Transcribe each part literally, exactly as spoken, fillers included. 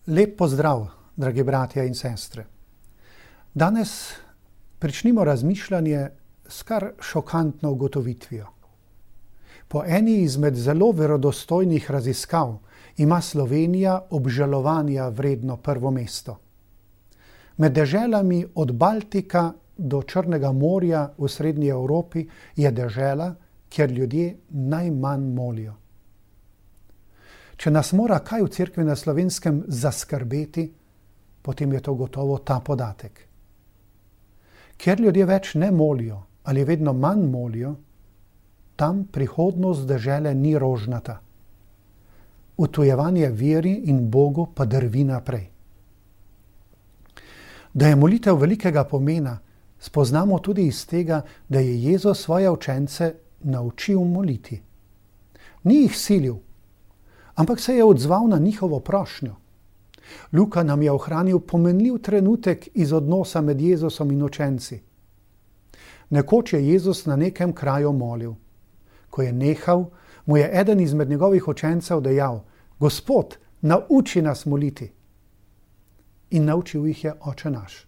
Lep pozdrav, dragi bratja in sestre. Danes pričnimo razmišljanje s kar šokantno ugotovitvijo. Po eni izmed zelo verodostojnih raziskav ima Slovenija obžalovanja vredno prvo mesto. Med deželami od Baltika do Črnega morja v srednji Evropi je dežela, kjer ljudje najmanj molijo. Če nas mora kaj v cerkvi na Slovenskem zaskrbeti, potem je to gotovo ta podatek. Ker ljudje več ne molijo ali vedno manj molijo, tam prihodnost dežele ni rožnata. Utujevanje veri in Bogu pa drvi naprej. Da je molitev velikega pomena, spoznamo tudi iz tega, da je Jezus svoje učence naučil moliti. Ni jih silil, ampak se je odzval na njihovo prošnjo. Luka nam je ohranil pomenljiv trenutek iz odnosa med Jezusom in učenci. Nekoč je Jezus na nekem kraju molil. Ko je nehal, mu je eden izmed njegovih učencev dejal: Gospod, nauči nas moliti. In naučil jih je Oče naš.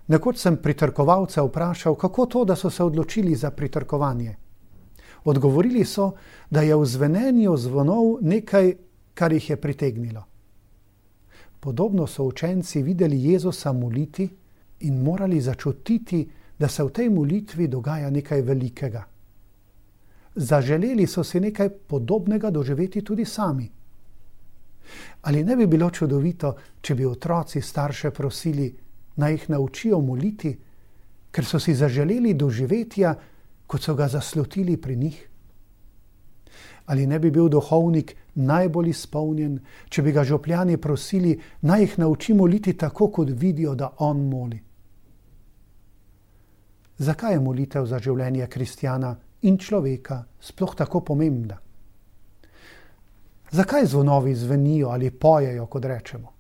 Nekoč sem pritrkovalce vprašal, kako to, da so se odločili za pritrkovanje. Odgovorili so, da je v zvenenju zvonov nekaj, kar jih je pritegnilo. Podobno so učenci videli Jezusa moliti in morali začutiti, da se v tej molitvi dogaja nekaj velikega. Zaželeli so si nekaj podobnega doživeti tudi sami. Ali ne bi bilo čudovito, če bi otroci starše prosili, naj jih naučijo moliti, ker so si zaželeli doživetja, kot so ga zaslutili pri njih? Ali ne bi bil duhovnik najbolj izpolnjen, če bi ga župljani prosili, naj jih nauči moliti tako, kot vidijo, da on moli? Zakaj je molitev za življenje kristjana in človeka sploh tako pomembna? Zakaj zvonovi zvenijo ali pojejo, kot rečemo?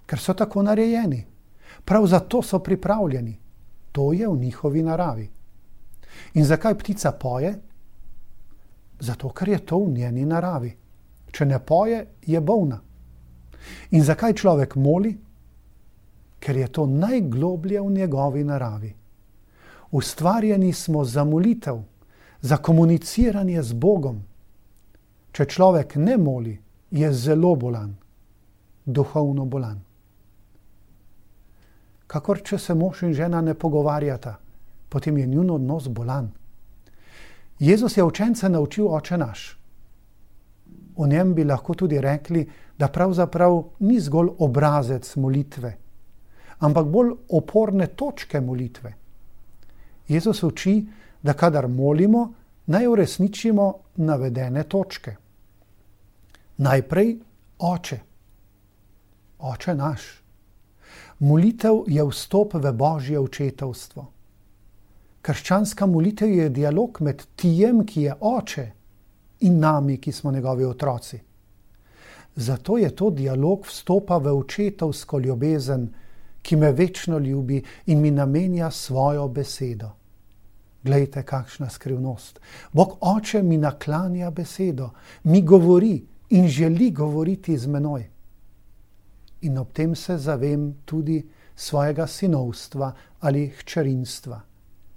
Ker so tako narejeni. Prav zato so pripravljeni. To je v njihovi naravi. In zakaj ptica poje? Zato, ker je to v njeni naravi. Če ne poje, je bolna. In zakaj človek moli? Ker je to najgloblje v njegovi naravi. Ustvarjeni smo za molitev, za komuniciranje z Bogom. Če človek ne moli, je zelo bolan, duhovno bolan. Kakor če se mož in žena ne pogovarjata, potem je njun odnos bolan. Jezus je učence naučil Oče naš. O njem bi lahko tudi rekli, da pravzaprav ni zgolj obrazec molitve, ampak bolj oporne točke molitve. Jezus uči, da kadar molimo, naj uresničimo navedene točke. Najprej Oče. Oče naš. Molitev je vstop v Božje očetovstvo. Krščanska molitev je dialog med tijem, ki je Oče, in nami, ki smo njegovi otroci. Zato je to dialog vstopa v očetovsko ljubezen, ki me večno ljubi in mi namenja svojo besedo. Glejte, kakšna skrivnost. Bog Oče mi naklanja besedo, mi govori in želi govoriti z menoj. In ob tem se zavem tudi svojega sinovstva ali hčerinstva,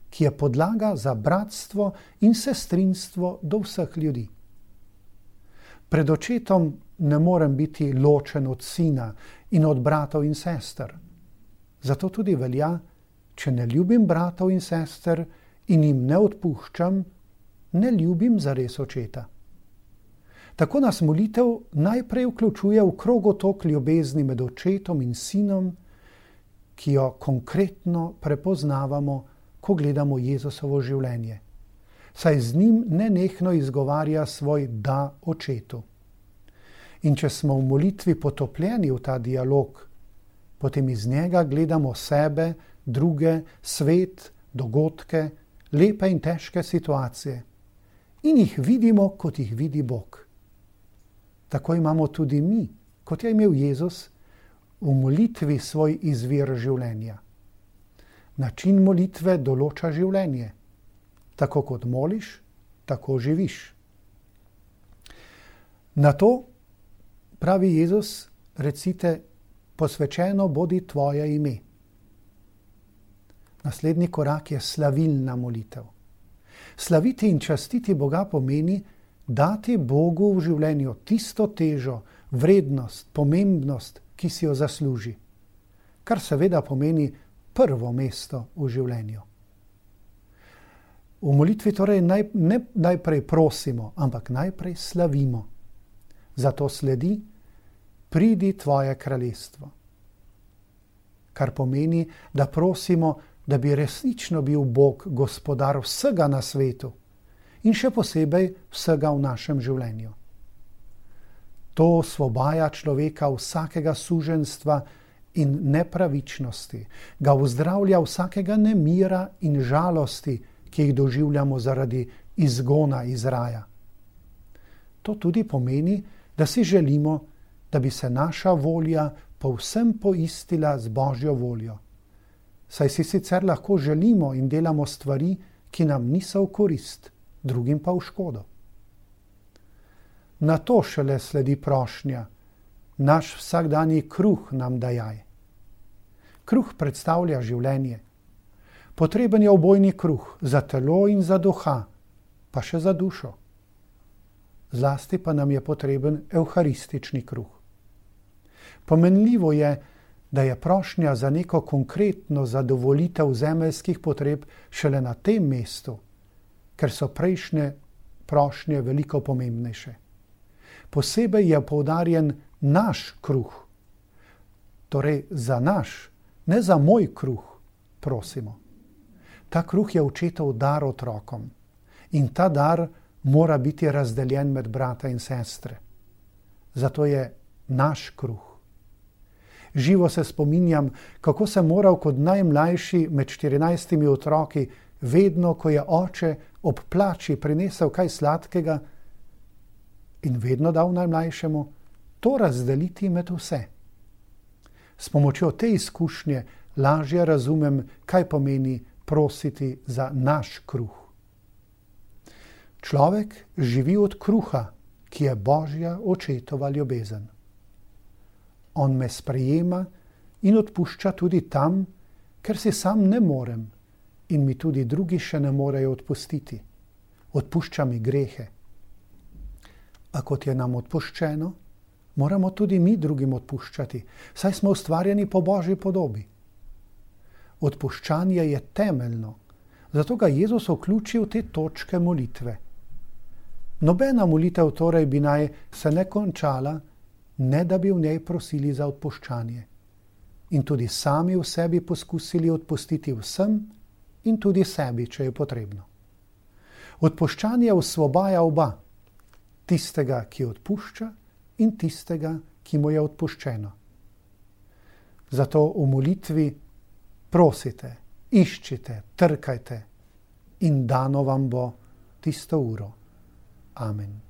ki je podlaga za bratstvo in sestrinstvo do vseh ljudi. Pred očetom ne morem biti ločen od sina in od bratov in sester. Zato tudi velja, če ne ljubim bratov in sester in jim ne odpuščam, ne ljubim zares očeta. Tako nas molitev najprej vključuje v krogotok ljubezni med očetom in sinom, ki jo konkretno prepoznavamo, ko gledamo Jezusovo življenje. Saj z njim nenehno izgovarja svoj da očetu. In če smo v molitvi potopljeni v ta dialog, potem iz njega gledamo sebe, druge, svet, dogodke, lepe in težke situacije in jih vidimo, kot jih vidi Bog. Tako imamo tudi mi, kot je imel Jezus, v molitvi svoj izvir življenja. Način molitve določa življenje. Tako kot moliš, tako živiš. Na to, pravi Jezus, recite, posvečeno bodi tvoje ime. Naslednji korak je slavilna molitev. Slaviti in častiti Boga pomeni dati Bogu v življenju tisto težo, vrednost, pomembnost, ki si jo zasluži. Kar seveda pomeni prvo mesto v življenju. V molitvi torej naj, ne najprej prosimo, ampak najprej slavimo. Zato sledi, pridi tvoje kraljestvo. Kar pomeni, da prosimo, da bi resnično bil Bog gospodar vsega na svetu in še posebej vsega v našem življenju. To osvobaja človeka vsakega suženjstva in nepravičnosti, ga uzdravlja vsakega nemira in žalosti, ki jih doživljamo zaradi izgona iz raja. To tudi pomeni, da si želimo, da bi se naša volja povsem poistila z Božjo voljo. Saj si sicer lahko želimo in delamo stvari, ki nam niso v korist, drugim pa v škodo. Na to šele sledi prošnja, naš vsakdanji kruh nam dajaj. Kruh predstavlja življenje. Potreben je obojni kruh, za telo in za duha, pa še za dušo. Zlasti pa nam je potreben evharistični kruh. Pomenljivo je, da je prošnja za neko konkretno zadovolitev zemeljskih potreb šele na tem mestu, ker so prejšnje prošnje veliko pomembnejše. Posebej je poudarjen naš kruh. Torej za naš, ne za moj kruh, prosimo. Ta kruh je očetov dar otrokom in ta dar mora biti razdeljen med brata in sestre. Zato je naš kruh. Živo se spominjam, kako sem moral kot najmlajši med štirinajstimi otroki, vedno, ko je oče ob plači prinesel kaj sladkega in vedno dal najmlajšemu, to razdeliti med vse. S pomočjo te izkušnje lažje razumem, kaj pomeni prositi za naš kruh. Človek živi od kruha, ki je Božja očetova ljubezen. On me sprejema in odpušča tudi tam, ker si sam ne morem in mi tudi drugi še ne morejo odpustiti. Odpušča mi grehe. A kot je nam odpuščeno, moramo tudi mi drugim odpuščati, saj smo ustvarjeni po Božji podobi. Odpuščanje je temeljno, zato ga Jezus vključi v te točke molitve. Nobena molitev torej bi naj se ne končala, ne da bi v njej prosili za odpuščanje. In tudi sami v sebi poskusili odpustiti vsem in tudi sebi, če je potrebno. Odpuščanje osvobaja oba, tistega, ki odpušča, in tistega, ki mu je odpuščeno. Zato v molitvi prosite, iščite, trkajte in dano vam bo tisto uro. Amen.